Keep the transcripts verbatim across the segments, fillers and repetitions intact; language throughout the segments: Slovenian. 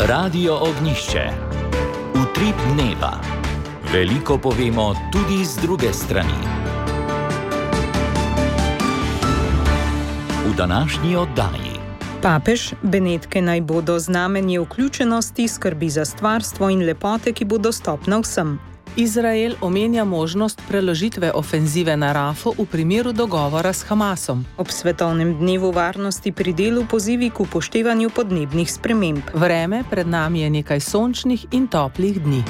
Radio Ognišče. Utrip dneva. Veliko povemo tudi z druge strani. V današnji oddaji. Papež, Benetke naj bodo znamenje vključenosti, skrbi za stvarstvo in lepote, ki bo dostopna vsem. Izrael omenja možnost preložitve ofenzive na Rafu v primeru dogovora s Hamasom. Ob svetovnem dnevu varnosti pri delu pozivi k upoštevanju podnebnih sprememb. Vreme pred nami je nekaj sončnih in toplih dni.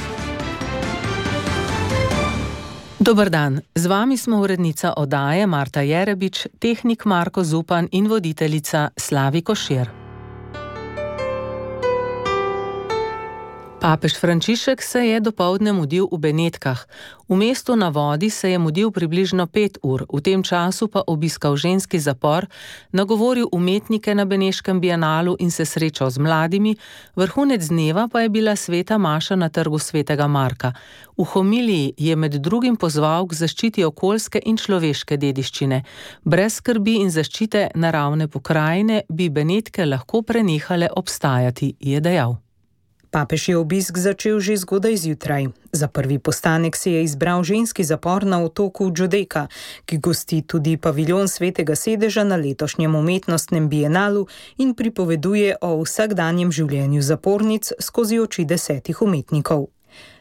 Dober dan, z vami smo urednica oddaje Marta Jerebič, tehnik Marko Zupan in voditeljica Slavi Košir. Papež Frančišek se je dopoldne mudil v Benetkah. V mestu na vodi se je mudil približno pet ur, v tem času pa obiskal ženski zapor, nagovoril umetnike na Beneškem bienalu in se srečal z mladimi, vrhunec dneva pa je bila sveta maša na trgu svetega Marka. V homiliji je med drugim pozval k zaščiti okoljske in človeške dediščine. Brez skrbi in zaščite naravne pokrajine bi Benetke lahko prenehale obstajati, je dejal. Papež je obisk začel že zgodaj zjutraj. Za prvi postanek se je izbral ženski zapor na otoku Džudejka, ki gosti tudi paviljon Svetega sedeža na letošnjem umetnostnem bienalu in pripoveduje o vsakdanjem življenju zapornic skozi oči desetih umetnikov.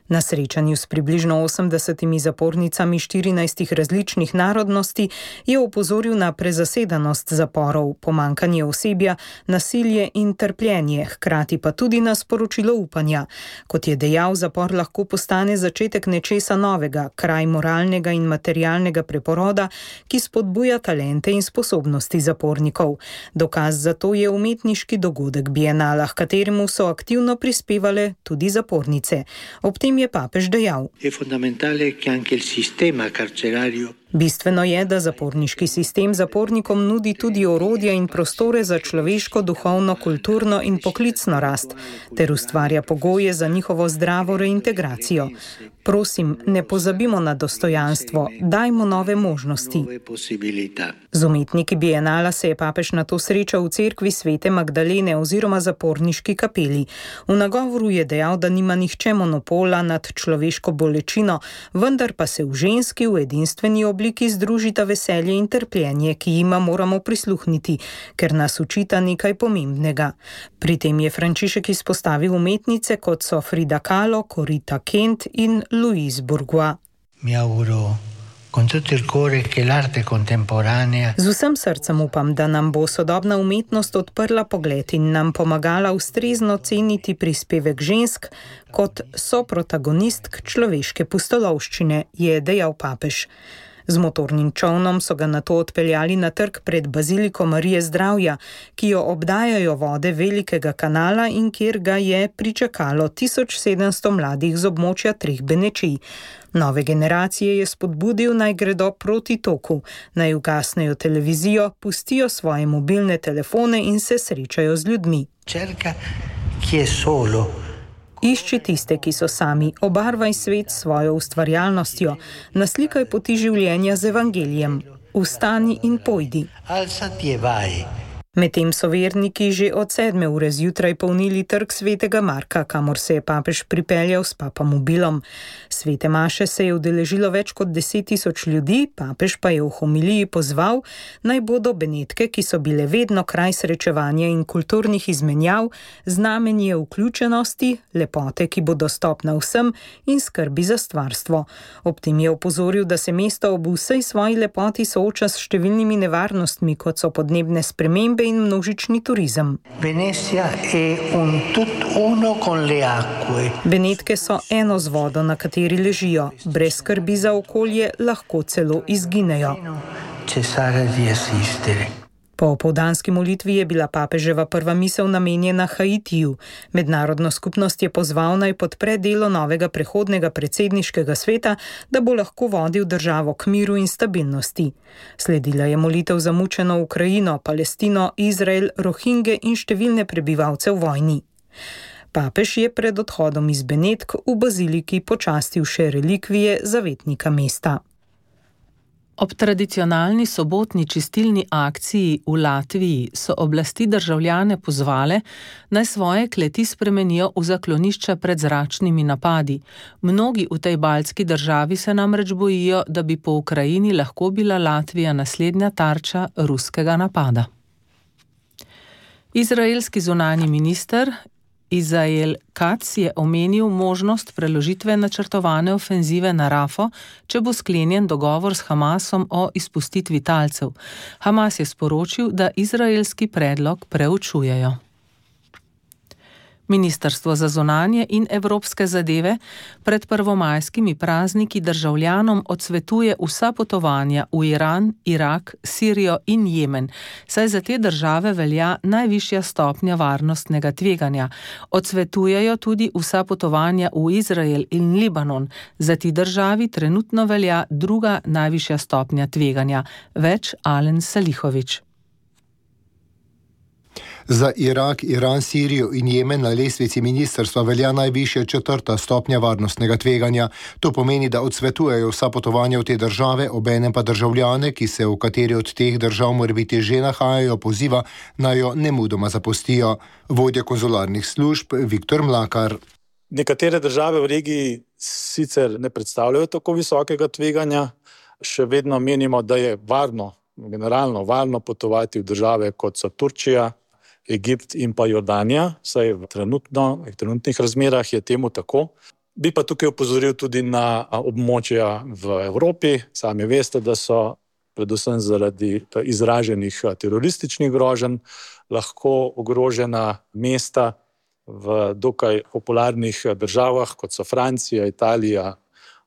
Na srečanju s približno osemdesetimi zapornicami štirinajstih različnih narodnosti je opozoril na prezasedanost zaporov, pomanjkanje osebja, nasilje in trpljenje, hkrati pa tudi na sporočilo upanja. Kot je dejal, zapor lahko postane začetek nečesa novega, kraj moralnega in materialnega preporoda, ki spodbuja talente in sposobnosti zapornikov. Dokaz za to je umetniški dogodek bienala, h kateremu so aktivno prispevale tudi zapornice. Ob tem je papež dejal. Bistveno je, da zaporniški sistem zapornikom nudi tudi orodja in prostore za človeško, duhovno, kulturno in poklicno rast, ter ustvarja pogoje za njihovo zdravo reintegracijo. Prosim, ne pozabimo na dostojanstvo, dajmo nove možnosti. Z umetniki bienala se je papež nato srečal v cerkvi Svete Magdalene oziroma zaporniški kapeli. V nagovoru je dejal, da nima nihče monopola nad človeško bolečino, vendar pa se v ženski v edinstveni obliki združita veselje in trpljenje, ki jima moramo prisluhniti, ker nas učita nekaj pomembnega. Pri tem je Frančišek izpostavil umetnice, kot so Frida Kahlo, Corita Kent in Louise Bourgeois. Mi auguro con tutto il cuore che l'arte contemporanea. Z vsem srcem upam, da nam bo sodobna umetnost odprla pogled in nam pomagala ustrezno ceniti prispevek žensk kot soprotagonistk človeške pustolovščine, je dejal papež. Z motornim čolnom so ga nato odpeljali na trg pred Baziliko Marije Zdravja, ki jo obdajajo vode velikega kanala in kjer ga je pričakalo tisoč sedemsto mladih z območja treh Benečij. Nove generacije je spodbudil, naj gredo proti toku, naj ugasnejo televizijo, pustijo svoje mobilne telefone in se srečajo z ljudmi. Cerca chi è solo. Išči tiste, ki so sami, obarvaj svet s svojo ustvarjalnostjo, naslikaj poti življenja z evangelijem. Vstani in pojdi. Alzati e vai. Medtem so verniki že od sedme ure zjutraj polnili trg Svetega Marka, kamor se je papež pripeljal s papamobilom. Svete maše se je udeležilo več kot deset tisoč ljudi, papež pa je v homiliji pozval, naj bodo Benetke, ki so bile vedno kraj srečevanja in kulturnih izmenjav, znamenje vključenosti, lepote, ki bo dostopna vsem in skrbi za stvarstvo. Ob tem je opozoril, da se mesto ob vsej svoji lepoti sooča s številnimi nevarnostmi, kot so podnebne spremembe in množični turizem. Benetke so eno z vodo, na kateri ležijo. Brez skrbi za okolje lahko celo izginejo. Po opoldanski molitvi je bila papeževa prva misel namenjena Haitiju. Mednarodno skupnost je pozval, naj podpre delo novega prehodnega predsedniškega sveta, da bo lahko vodil državo k miru in stabilnosti. Sledila je molitev za mučeno Ukrajino, Palestino, Izrael, Rohinge in številne prebivalce v vojni. Papež je pred odhodom iz Benetk v baziliki počastil še relikvije zavetnika mesta. Ob tradicionalni sobotni čistilni akciji v Latviji so oblasti državljane pozvale, naj svoje kleti spremenijo v zaklonišča pred zračnimi napadi. Mnogi v tej baltski državi se namreč bojijo, da bi po Ukrajini lahko bila Latvija naslednja tarča ruskega napada. Izraelski zunanji minister Izrael Katz je omenil možnost preložitve načrtovane ofenzive na Rafo, če bo sklenjen dogovor s Hamasom o izpustitvi talcev. Hamas je sporočil, da izraelski predlog preučujejo. Ministrstvo za zunanje in evropske zadeve pred prvomajskimi prazniki državljanom odsvetuje vsa potovanja v Iran, Irak, Sirijo in Jemen, saj za te države velja najvišja stopnja varnostnega tveganja. Odsvetujejo tudi vsa potovanja v Izrael in Libanon. Za ti državi trenutno velja druga najvišja stopnja tveganja. Več Alen Salihović. Za Irak, Iran, Sirijo in Jemen na lestvici ministrstva velja najvišja četrta stopnja varnostnega tveganja. To pomeni, da odsvetujejo vsa potovanja v te države, obenem pa državljane, ki se v kateri od teh držav morebiti že nahajajo, poziva, naj jo nemudoma zapustijo. Vodja konzularnih služb Viktor Mlakar. Nekatere države v regiji sicer ne predstavljajo tako visokega tveganja, še vedno menimo, da je varno, generalno varno potovati v države kot so Turčija, Egipt in pa Jordanija, saj v, trenutno, v trenutnih razmerah je temu tako. Bi pa tukaj opozoril tudi na območja v Evropi. Sami veste, da so predvsem zaradi izraženih terorističnih groženj lahko ogrožena mesta v dokaj popularnih državah, kot so Francija, Italija,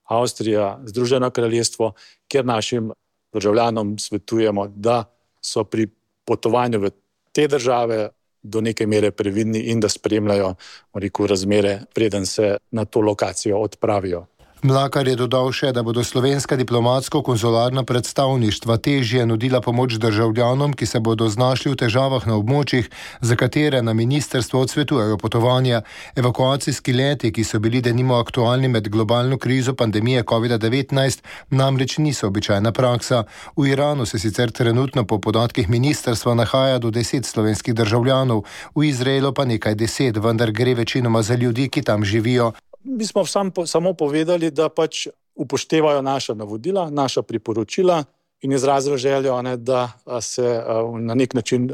Avstrija, Združeno kraljestvo, kjer našim državljanom svetujemo, da so pri potovanju v te države do neke mere previdni in da spremljajo, rekel, razmere, preden se na to lokacijo odpravijo. Mlakar je dodal še, da bodo slovenska diplomatsko-konzularna predstavništva težje nudila pomoč državljanom, ki se bodo znašli v težavah na območjih, za katere na ministrstvo odsvetujejo potovanja. Evakuacijski leti, ki so bili denimo aktualni med globalno krizo pandemije covid devetnajst, namreč niso običajna praksa. V Iranu se sicer trenutno po podatkih ministrstva nahaja do deset slovenskih državljanov, v Izraelu pa nekaj deset, vendar gre večinoma za ljudi, ki tam živijo. Mi smo sam, samo povedali, da pač upoštevajo naša navodila, naša priporočila in izrazili željo, ne, da se na nek način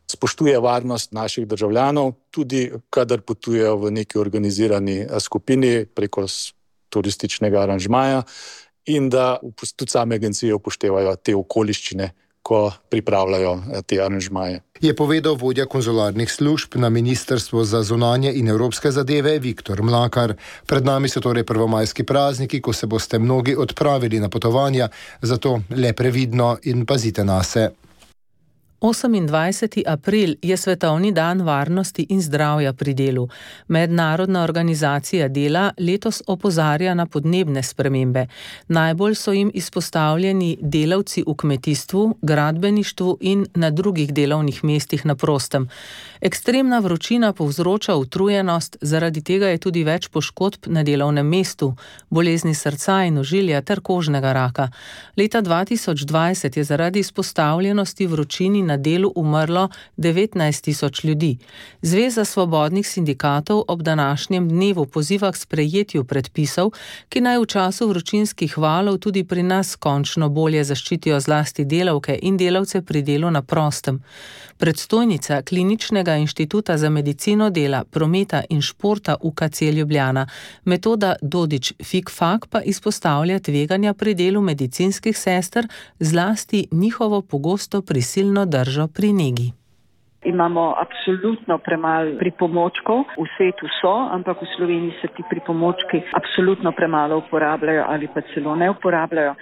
spoštuje varnost naših državljanov, tudi kadar potujejo v neki organizirani skupini preko turističnega aranžmaja in da tudi same agencije upoštevajo te okoliščine, ko pripravljajo te aranžmaje. Je povedal vodja konzularnih služb na Ministrstvo za zunanje in evropske zadeve Viktor Mlakar. Pred nami so torej prvomajski prazniki, ko se boste mnogi odpravili na potovanja, zato le previdno in pazite nase. osemindvajseti april je Svetovni dan varnosti in zdravja pri delu. Mednarodna organizacija dela letos opozarja na podnebne spremembe. Najbolj so jim izpostavljeni delavci v kmetijstvu, gradbeništvu in na drugih delovnih mestih na prostem. Ekstremna vročina povzroča utrujenost, zaradi tega je tudi več poškodb na delovnem mestu, bolezni srca in ožilja ter kožnega raka. Leta dva tisoč dvajset je zaradi izpostavljenosti vročini na delu umrlo devetnajst tisoč ljudi. Zveza svobodnih sindikatov ob današnjem dnevu poziva k sprejetju predpisov, ki naj v času vročinskih valov tudi pri nas končno bolje zaščitijo zlasti delavke in delavce pri delu na prostem. Predstojnica Kliničnega inštituta za medicino dela, prometa in športa U K C Ljubljana, Metoda Dodič-Fikfak, pa izpostavlja tveganja pri delu medicinskih sester, zlasti njihovo pogosto prisilno držo pri negi. Imamo absolutno premalo pripomočkov, v svetu so, ampak v Sloveniji se ti pripomočki absolutno premalo uporabljajo ali pa celo ne uporabljajo.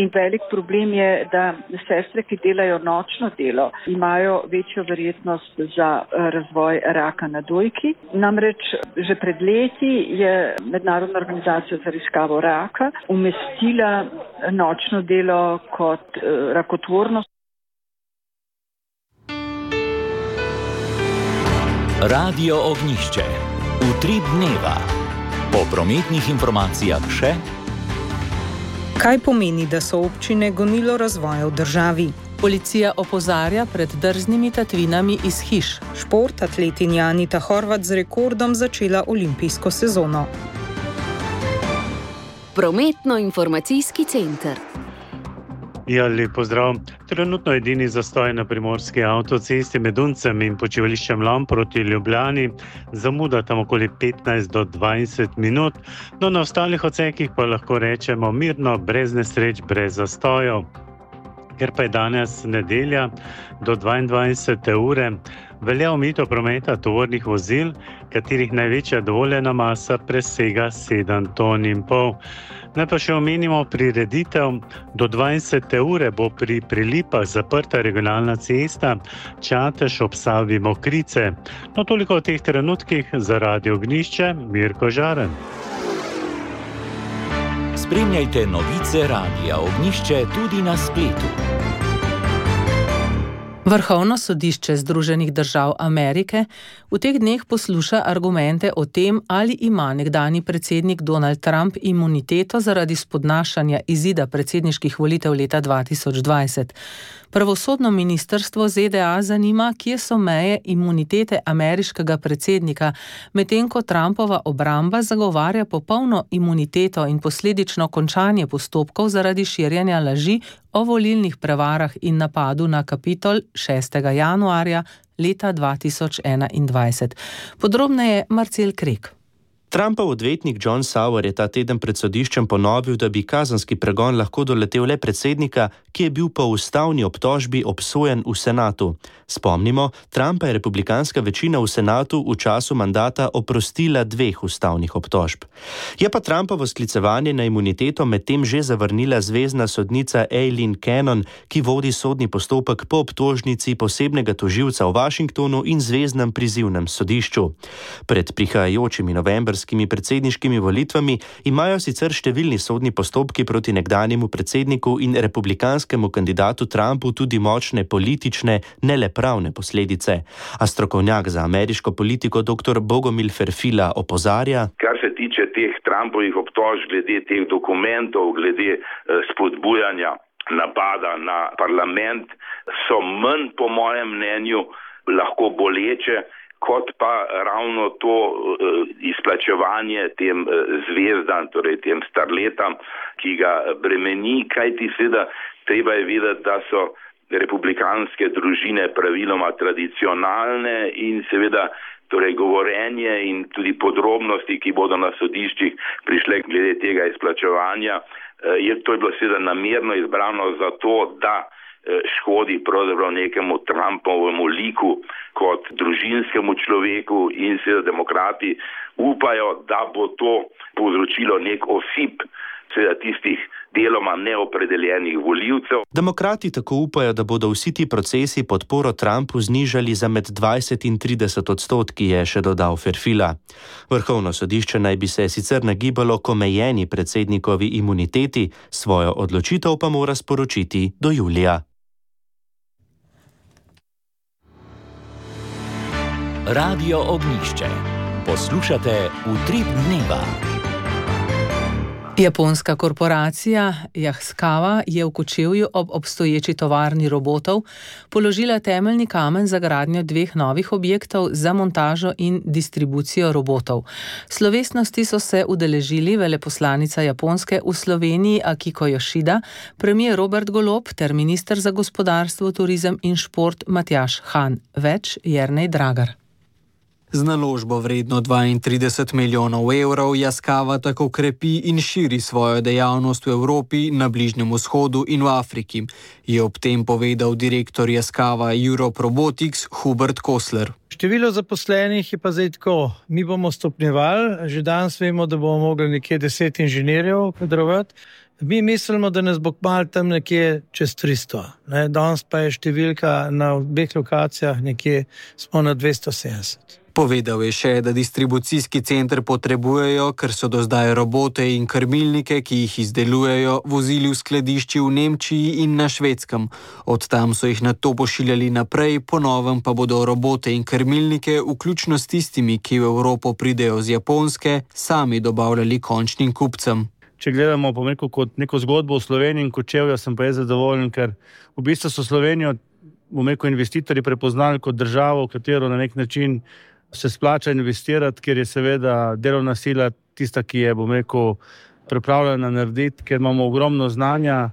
In velik problem je, da sestre, ki delajo nočno delo, imajo večjo verjetnost za razvoj raka na dojki. Namreč že pred leti je Mednarodna organizacija za raziskavo raka umestila nočno delo kot rakotvornost. Radio Ognjišče. Utrip dneva. Po prometnih informacijah še. Kaj pomeni, da so občine gonilo razvoja v državi? Policija opozarja pred drznimi tatvinami iz hiš. Šport, atletinja Anita Horvat z rekordom začela olimpijsko sezono. Prometno-informacijski center. Ja, lep pozdrav. Trenutno edini zastoj na primorski avtocesti med Uncem in počivališčem Lom proti Ljubljani. Zamuda tam okoli petnajst do dvajset minut, no na ostalih odsekih pa lahko rečemo mirno, brez nesreč, brez zastojev. Ker pa je danes nedelja do dvaindvajsete ure, velja omejitev prometa tovornih vozil, katerih največja dovoljena masa presega sedem ton in pol. Naj pa še omenimo prireditev. Do dvajsete ure bo pri Prilipah zaprta regionalna cesta Čatež ob Savi Mokrice. No, toliko v teh trenutkih. Za Radio Ognjišče, Mirko Žaren. Spremljajte novice Radia Ognjišče tudi na spletu. Vrhovno sodišče Združenih držav Amerike v teh dneh posluša argumente o tem, ali ima nekdanji predsednik Donald Trump imuniteto zaradi spodnašanja izida predsedniških volitev leta dva tisoč dvajset. Pravosodno ministrstvo Z D A zanima, kje so meje imunitete ameriškega predsednika, medtem ko Trumpova obramba zagovarja popolno imuniteto in posledično končanje postopkov zaradi širjenja laži o volilnih prevarah in napadu na Kapitol šestega januarja leta dva tisoč enaindvajset. Podrobneje Marcel Krek. Trumpov odvetnik John Sauer je ta teden pred sodiščem ponovil, da bi kazenski pregon lahko doletel le predsednika, ki je bil po ustavni obtožbi obsojen v senatu. Spomnimo, Trumpa je republikanska večina v senatu v času mandata oprostila dveh ustavnih obtožb. Je pa Trumpovo sklicevanje na imuniteto medtem že zavrnila zvezna sodnica Aileen Cannon, ki vodi sodni postopek po obtožnici posebnega tožilca v Washingtonu in zveznem prizivnem sodišču. Pred prihajajočimi novembrskimi predsedniškimi volitvami imajo sicer številni sodni postopki proti nekdanjemu predsedniku in republikanskemu kandidatu Trumpu tudi močne politične, ne le pravne posledice. A strokovnjak za ameriško politiko dr. Bogomil Ferfila opozarja: Kar se tiče teh Trumpovih obtožb glede teh dokumentov, glede eh, spodbujanja napada na parlament, so manj, po mojem mnenju, lahko boleče, kot pa ravno to uh, izplačevanje tem uh, zvezdam, torej tem starletam, ki ga bremeni, kajti seveda treba je vedeti, da so republikanske družine praviloma tradicionalne in seveda torej govorenje in tudi podrobnosti, ki bodo na sodiščih prišle glede tega izplačevanja, uh, je to je bilo seveda namerno izbrano zato, da škodi pravzaprav nekemu Trumpovemu liku kot družinskemu človeku in seveda demokrati upajo, da bo to povzročilo nek osip seveda tistih deloma neopredeljenih volivcev. Demokrati tako upajo, da bodo vsi ti procesi podporo Trumpu znižali za med dvajset in trideset odstotki, je še dodal Ferfila. Vrhovno sodišče naj bi se sicer nagibalo k omejeni predsednikovi imuniteti, svojo odločitev pa mora sporočiti do julija. Radio Ognjišče. Poslušate Utrip dneva. Japonska korporacija Yaskawa je v Kočevju ob obstoječi tovarni robotov položila temeljni kamen za gradnjo dveh novih objektov za montažo in distribucijo robotov. Slovesnosti so se udeležili veleposlanica Japonske v Sloveniji Akiko Yoshida, premier Robert Golob ter minister za gospodarstvo, turizem in šport Matjaž Han. Več Jernej Dragar. Z naložbo vredno dvaintrideset milijonov evrov Yaskawa tako krepi in širi svojo dejavnost v Evropi, na Bližnjem vzhodu in v Afriki, je ob tem povedal direktor Yaskawa Europe Robotics Hubert Kosler. Število zaposlenih je pa zdaj tako, mi bomo stopnjevali, že danes vemo, da bomo mogli nekje deset inženirjev kadrovati. Mi mislimo, da nas bo kmalu tam nekje čez tristo. Ne? Danes pa je številka na obeh lokacijah nekje smo na dvesto sedemdeset. Povedal je še, da distribucijski center potrebujejo, ker so do zdaj robote in krmilnike, ki jih izdelujejo, vozili v skladišči v Nemčiji in na Švedskem. Od tam so jih nato pošiljali naprej, po novem pa bodo robote in krmilnike, vključno s tistimi, ki v Evropo pridejo z Japonske, sami dobavljali končnim kupcem. če gledamo pomeko kot neko zgodbo v Sloveniji in Kočevja, sem pa je zadovoljen, ker v bistvu so Slovenijo pomeko investitorji prepoznali kot državo, v katero na nek način se splača investirati, ker je seveda delovna sila tista, ki je pomeko pripravljena narediti, ker imamo ogromno znanja.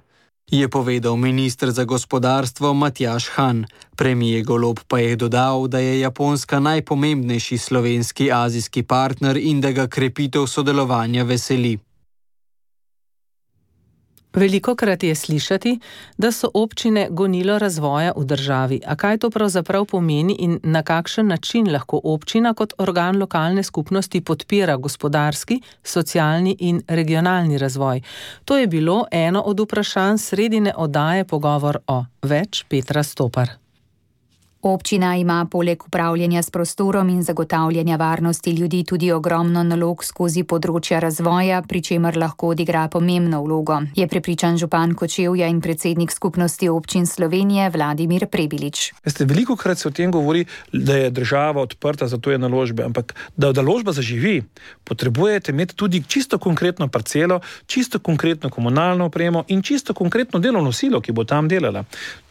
Je povedal minister za gospodarstvo Matjaž Han. Premijer Golob pa je dodal, da je Japonska najpomembnejši slovenski azijski partner in da ga krepitev sodelovanja veseli. Velikokrat je slišati, da so občine gonilo razvoja v državi. A kaj to pravzaprav pomeni in na kakšen način lahko občina kot organ lokalne skupnosti podpira gospodarski, socialni in regionalni razvoj? To je bilo eno od vprašanj sredine oddaje Pogovor o. Več Petra Stopar. Občina ima poleg upravljanja s prostorom in zagotavljanja varnosti ljudi tudi ogromno nalog skozi področja razvoja, pri čemer lahko odigra pomembno vlogo, je prepričan župan Kočevja in predsednik skupnosti občin Slovenije Vladimir Prebilič. Veste, velikokrat se o tem govori, da je država odprta za tuje naložbe, ampak da naložba zaživi, potrebujete imeti tudi čisto konkretno parcelo, čisto konkretno komunalno opremo in čisto konkretno delovno silo, ki bo tam delala.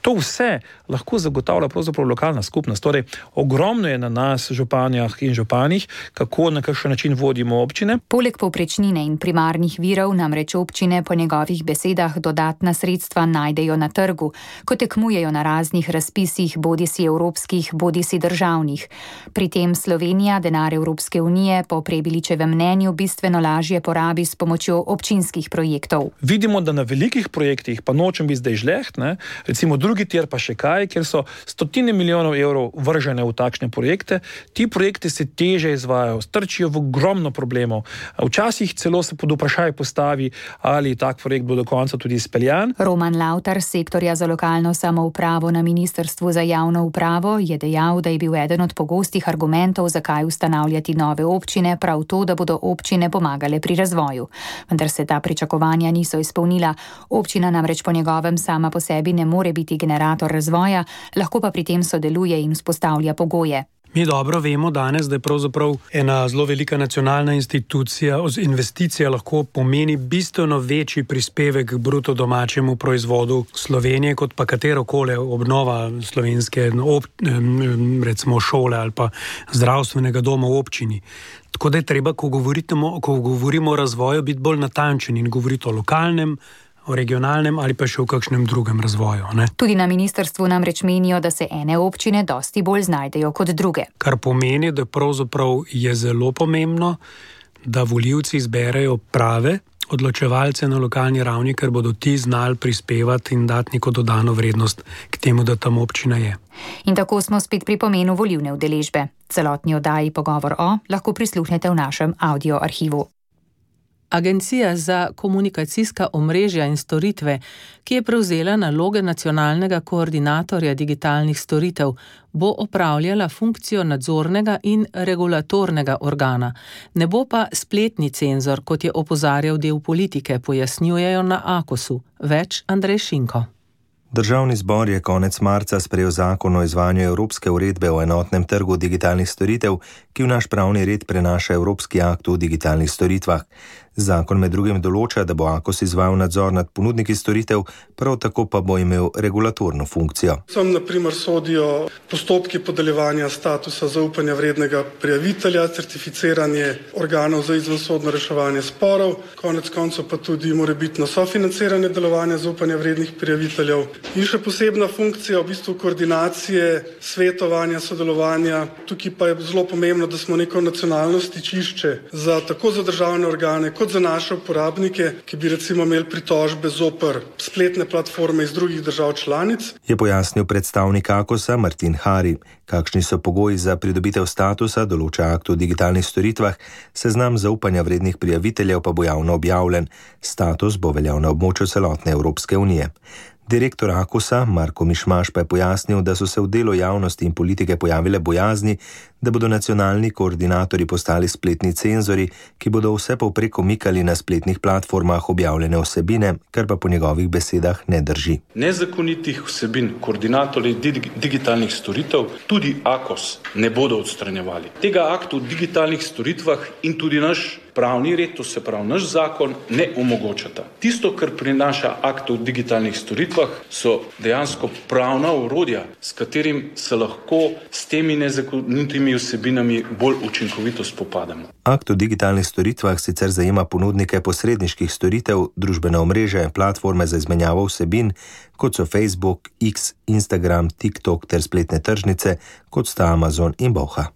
To vse lahko zagotavlja pravzaprav lokalna skupnost. Torej, ogromno je na nas, županjah in županih, kako na kakšen način vodimo občine. Poleg povprečnine in primarnih virov namreč občine po njegovih besedah dodatna sredstva najdejo na trgu, ko tekmujejo na raznih razpisih, bodisi evropskih, bodisi državnih. Pri tem Slovenija denar Evropske unije po Prebiličevem mnenju bistveno lažje porabi s pomočjo občinskih projektov. Vidimo, da na velikih projektih, pa nočem biti zdaj žleht, ne, recimo drugi tir pa še kaj, kjer so stotine milijonov evrov vržene v takšne projekte. Ti projekti se teže izvajajo, strčijo v ogromno problemov. Včasih celo se pod vprašaj postavi, ali tak projekt bo do konca tudi izpeljan. Roman Lavtar z sektorja za lokalno samoupravo na Ministrstvu za javno upravo je dejal, da je bil eden od pogostih argumentov, zakaj ustanavljati nove občine, prav to, da bodo občine pomagale pri razvoju. Vendar se ta pričakovanja niso izpolnila. Občina namreč po njegovem sama po sebi ne more biti generator razvoja, lahko pa pri tem sodeluje in vzpostavlja pogoje. Mi dobro vemo danes, da je pravzaprav ena zelo velika nacionalna institucija, investicija lahko pomeni bistveno večji prispevek k bruto domačemu proizvodu Slovenije, kot pa katerokoli obnova slovenske ob, recimo šole ali pa zdravstvenega doma v občini. Tako da je treba, ko govorimo, ko govorimo o razvoju, biti bolj natančen in govoriti o lokalnem, o regionalnem ali pa še v kakšnem drugem razvoju. Ne? Tudi na ministrstvu namreč menijo, da se ene občine dosti bolj znajdejo kot druge. Kar pomeni, da pravzaprav je zelo pomembno, da volivci izberejo prave odločevalce na lokalni ravni, ker bodo ti znali prispevati in dati neko dodano vrednost k temu, da tam občina je. In tako smo spet pri pomenu volivne udeležbe. Celotni oddaji Pogovor o lahko prisluhnete v našem audio arhivu. Agencija za komunikacijska omrežja in storitve, ki je prevzela naloge nacionalnega koordinatorja digitalnih storitev, bo opravljala funkcijo nadzornega in regulatornega organa. Ne bo pa spletni cenzor, kot je opozarjal del politike, pojasnjujejo na Akosu. Več Andrej Šinko. Državni zbor je konec marca sprejel zakon o izvajanju Evropske uredbe o enotnem trgu digitalnih storitev, ki v naš pravni red prenaša Evropski akt o digitalnih storitvah. Zakon med drugim določa, da bo Akos izvajal nadzor nad ponudniki storitev, prav tako pa bo imel regulatorno funkcijo. Sem na primer sodijo postopki podeljevanja statusa zaupanja vrednega prijavitelja, certificiranje organov za izvensodno reševanje sporov, konec koncev pa tudi morebitno sofinanciranje delovanja zaupanja vrednih prijaviteljev in še posebna funkcija v bistvu koordinacije, svetovanja, sodelovanja. Tukaj pa je zelo pomembno, da smo neko nacionalno stičišče za tako za državne organe, kot za naše uporabnike, ki bi recimo imeli pritožbe zoper spletne platforme iz drugih držav članic. Je pojasnil predstavnik Akosa Martin Hari. Kakšni so pogoji za pridobitev statusa, določa akt o digitalnih storitvah, seznam zaupanja vrednih prijaviteljev pa bo javno objavljen. Status bo veljal na območju celotne Evropske unije. Direktor Akosa Marko Mišmaš pa je pojasnil, da so se v delu javnosti in politike pojavile bojazni, da bodo nacionalni koordinatorji postali spletni cenzori, ki bodo vse povprek omikali na spletnih platformah objavljene vsebine, kar pa po njegovih besedah ne drži. Nezakonitih vsebin koordinatorji digitalnih storitev tudi Akos ne bodo odstranjevali. Tega aktu o digitalnih storitvah in tudi naš pravni red, to se pravi naš zakon, ne omogočata. Tisto, kar prinaša akt o digitalnih storitvah, so dejansko pravna orodja, s katerim se lahko s temi nezakonitimi vsebinami bolj učinkovito spopadamo. Akt o digitalnih storitvah sicer zajema ponudnike posredniških storitev, družbene omrežja in platforme za izmenjavo vsebin, kot so Facebook, X, Instagram, TikTok ter spletne tržnice, kot sta Amazon in Boha.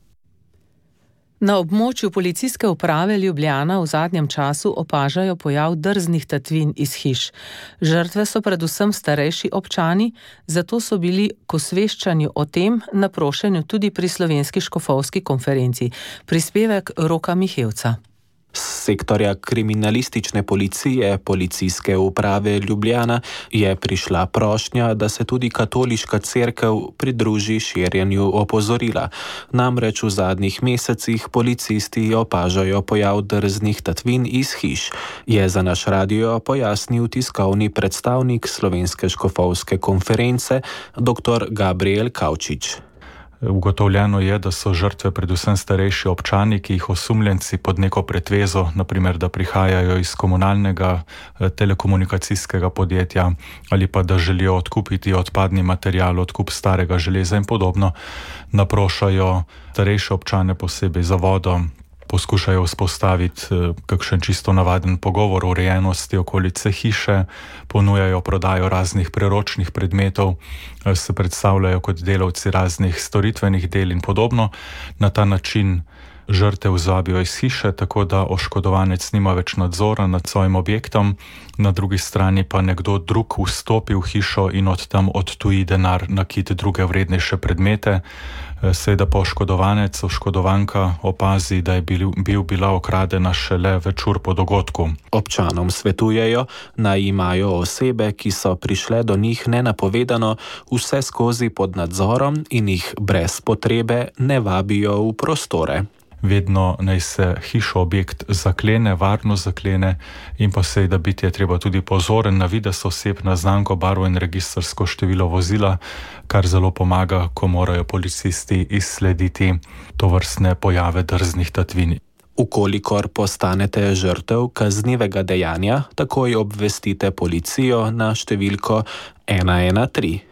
Na območju policijske uprave Ljubljana v zadnjem času opažajo pojav drznih tatvin iz hiš. Žrtve so predvsem starejši občani, zato so bili k osveščanju o tem naprošeni tudi pri Slovenski škofovski konferenci. Prispevek Roka Mihevca. Z sektorja kriminalistične policije Policijske uprave Ljubljana je prišla prošnja, da se tudi katoliška cerkev pridruži širjenju opozorila. Namreč v zadnjih mesecih policisti opažajo pojav drznih tatvin iz hiš, je za naš radio pojasnil tiskovni predstavnik Slovenske škofovske konference dr. Gabriel Kavčič. Ugotovljeno je, da so žrtve predvsem starejši občani, ki jih osumljenci pod neko pretvezo, naprimer, da prihajajo iz komunalnega telekomunikacijskega podjetja ali pa da želijo odkupiti odpadni material, odkup starega železa in podobno, naprošajo starejše občane posebej za vodo, poskušajo vzpostaviti kakšen čisto navaden pogovor o urejenosti okolice hiše, ponujajo prodajo raznih preročnih predmetov, se predstavljajo kot delavci raznih storitvenih del in podobno. Na ta način žrtev zvabijo iz hiše, tako da oškodovanec nima več nadzora nad svojim objektom, na drugi strani pa nekdo drug vstopi v hišo in od tam odtuji denar, nakit druge vrednejše predmete. Seveda pa oškodovanec, oškodovanka opazi, da je bil, bil bila okradena šele več ur po dogodku. Občanom svetujejo, naj imajo osebe, ki so prišle do njih nenapovedano, vse skozi pod nadzorom in jih brez potrebe ne vabijo v prostore. Vedno naj se hišo objekt zaklene, varno zaklene in pa seveda biti je treba tudi pozoren na videz oseb, na znamko, barvo in registrsko število vozila, kar zelo pomaga, ko morajo policisti izslediti tovrstne pojave drznih tatvin. Ukolikor postanete žrtev kaznivega dejanja, takoj obvestite policijo na številko ena ena tri.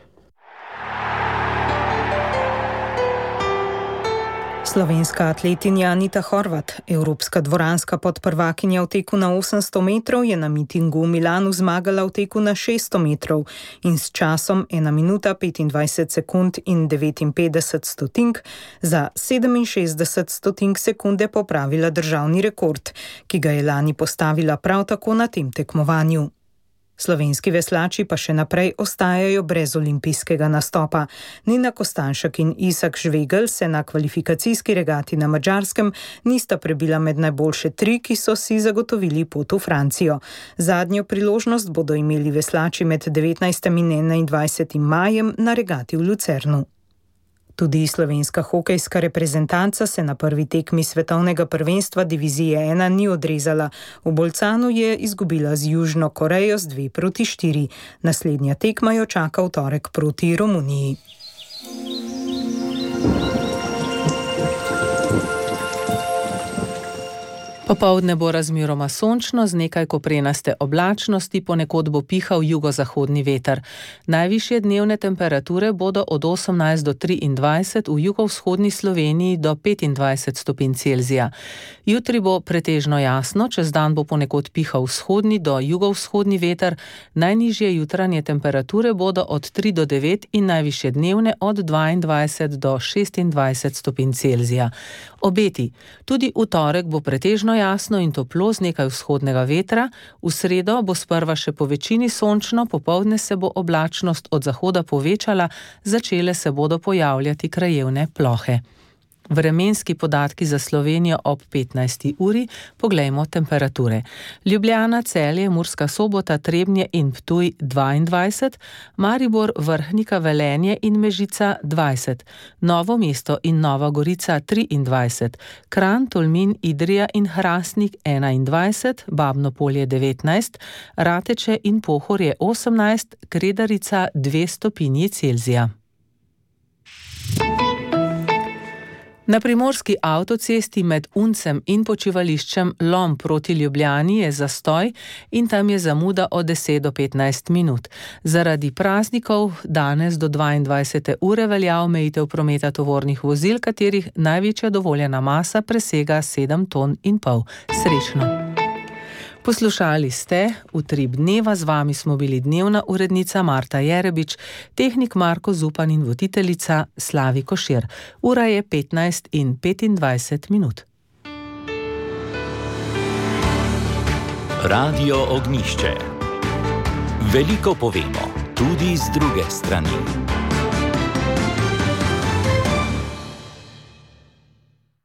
Slovenska atletinja Anita Horvat, evropska dvoranska podprvakinja v teku na osemsto metrov, je na mitingu v Milanu zmagala v teku na šeststo metrov in s časom ena minuta petindvajset sekund in devetinpetdeset stotink za sedeminšestdeset stotink sekunde popravila državni rekord, ki ga je lani postavila prav tako na tem tekmovanju. Slovenski veslači pa še naprej ostajajo brez olimpijskega nastopa. Nina Kostanšek in Isak Žvegel se na kvalifikacijski regati na Madžarskem nista prebila med najboljše tri, ki so si zagotovili pot v Francijo. Zadnjo priložnost bodo imeli veslači med devetnajstim in enaindvajsetim majem na regati v Lucernu. Tudi slovenska hokejska reprezentanca se na prvi tekmi svetovnega prvenstva divizije ena ni odrezala. V Bolcanu je izgubila z Južno Korejo z dve proti štiri. Naslednja tekma jo čaka v torek proti Romuniji. Popoldne bo razmeroma sončno z nekaj koprenaste oblačnosti, ponekod bo pihal jugozahodni veter. Najvišje dnevne temperature bodo od osemnajst do triindvajset, v jugovzhodni Sloveniji do petindvajset stopinj Celzija. Jutri bo pretežno jasno, čez dan bo ponekod pihal vzhodni do jugovzhodni veter, najnižje jutranje temperature bodo od tri do devet in najvišje dnevne od dvaindvajset do šestindvajset stopinj Celzija. Obeti. Tudi v torek bo pretežno jasno in toplo z nekaj vzhodnega vetra, v sredo bo sprva še po večini sončno, popoldne se bo oblačnost od zahoda povečala, začele se bodo pojavljati krajevne plohe. Vremenski podatki za Slovenijo ob petnajsti uri, poglejmo temperature. Ljubljana, Celje, Murska Sobota, Trebnje in Ptuj dvaindvajset, Maribor, Vrhnika, Velenje in Mežica dvajset, Novo mesto in Nova Gorica triindvajset, Kranj, Tolmin, Idrija in Hrastnik enaindvajset, Babno Polje devetnajst, Rateče in Pohorje osemnajst, Kredarica dve stopinji Celzija. Na primorski avtocesti med Uncem in počivališčem Lom proti Ljubljani je zastoj in tam je zamuda od deset do petnajst minut. Zaradi praznikov danes do dvaindvajsete ure velja omejitev prometa tovornih vozil, katerih največja dovoljena masa presega sedem ton in pol. Srečno! Poslušali ste Utrip dneva, z vami smo bili dnevna urednica Marta Jerebič, tehnik Marko Zupan in voditeljica Slavi Košir. Ura je petnajst in petindvajset minut. Radio Ognjišče. Veliko povemo, tudi z druge strani.